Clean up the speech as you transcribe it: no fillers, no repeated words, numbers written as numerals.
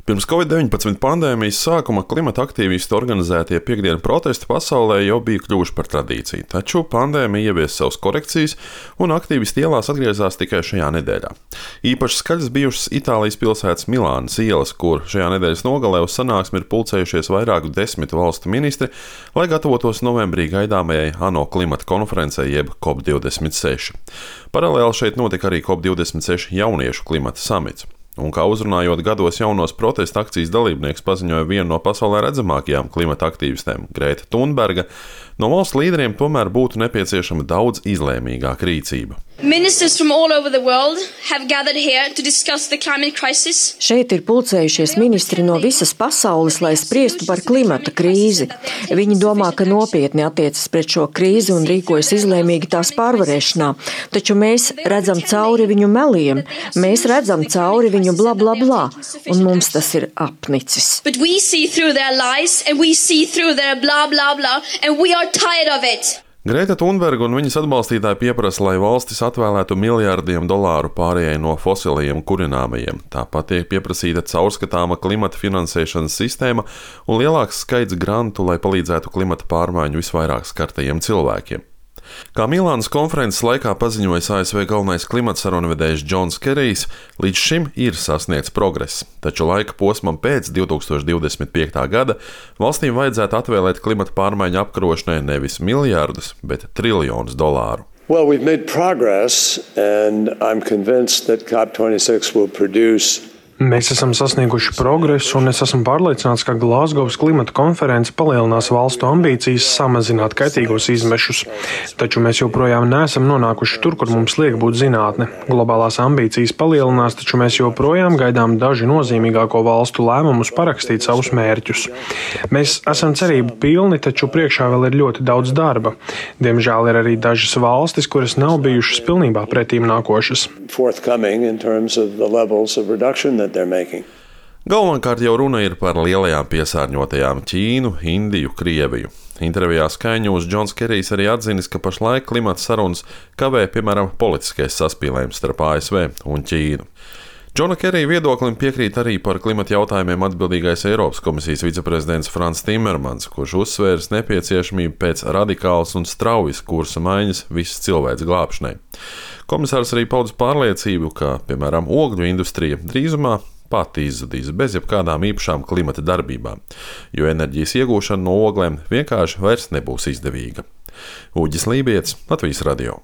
Pirms Covid-19 pandēmijas sākuma klimata aktīvistu organizētie piekdienu protesti pasaulē jau bija kļuvuši par tradīciju, taču pandēmija ievies savas korekcijas, un aktīvisti ielās atgriezās tikai šajā nedēļā. Īpaši skaļas bijušas Itālijas pilsētas Milānas ielas, kur šajā nedēļas nogalē uz sanāksmi ir pulcējušies vairāku 10 valstu ministri, lai gatavotos novembrī gaidāmajai ANO klimata konferencei jeb COP26. Paralēli šeit notika arī COP26 jauniešu klimata samits. Un kā uzrunājot gados jaunos protesta akcijas dalībnieks paziņoja viena no pasaulē redzamākajām klimata aktīvistēm, Greta Thunberga, no valsts līderiem tomēr būtu nepieciešama daudz izlēmīgāka rīcība. Šeit ir pulcējušies ministri no visas pasaules, lai spriestu par klimata krīzi. Viņi domā, ka nopietni attiecas pret šo krīzi un rīkojas izlēmīgi tās pārvarēšanā. Taču mēs redzam cauri viņu meliem, mēs redzam cauri viņu bla bla bla, un mums tas ir apnicis. Greta Thunberga un viņas atbalstītāji pieprasa, lai valstis atvēlētu miljardiem dolāru pārējai no fosilajiem kurināmajiem. Tāpat tiek pieprasīta caurskatāma klimata finansēšanas sistēma un lielāks skaits grantu, lai palīdzētu klimata pārmaiņu visvairāk skartajiem cilvēkiem. Kā Milānas konferences laikā paziņojis ASV galvenais klimata sarunvedējs Džons Kerijs, līdz šim ir sasniegts progress, taču laika posmam pēc 2025. gada valstīm vajadzētu atvēlēt klimata pārmaiņu apkarošanai nevis miljardus, bet triljonus dolāru. Well, we've made progress, and I'm convinced that COP26 will produce. Mēs esam sasnieguši progresu, un es esmu pārliecināts, ka Glazgovas klimata konference palielinās valstu ambīcijas samazināt kaitīgos izmešus. Taču mēs joprojām neesam nonākuši tur, kur mums liek būt zinātne. Globālās ambīcijas palielinās, taču mēs joprojām gaidām daži nozīmīgāko valstu lēmumus parakstīt savus mērķus. Mēs esam cerību pilni, taču priekšā vēl ir ļoti daudz darba. Diemžēl ir arī dažas valstis, kuras nav bijušas pilnībā pretīm nākošas. Galvenokārt jau runa ir par lielajām piesārņotajām Ķīnu, Indiju, Krieviju. Intervijā Sky News Džons Kerijs arī atzinis, ka pašlaik klimata sarunas kavē, piemēram, politiskais saspīlējums starp ASV un Ķīnu. Džona Kerija viedoklim piekrīt arī par klimata jautājumiem atbildīgais Eiropas komisijas viceprezidents Frans Timmermans, kurš uzsvērs nepieciešamību pēc radikālas un straujas kursa maiņas visas cilvēces glābšanai. Komisārs arī paudis pārliecību, ka, piemēram, ogļu industrija drīzumā pati izzudīs bez jebkādām īpašām klimata darbībām, jo enerģijas iegūšana no oglēm vienkārši vairs nebūs izdevīga. Uģis Lībietis, Latvijas radio.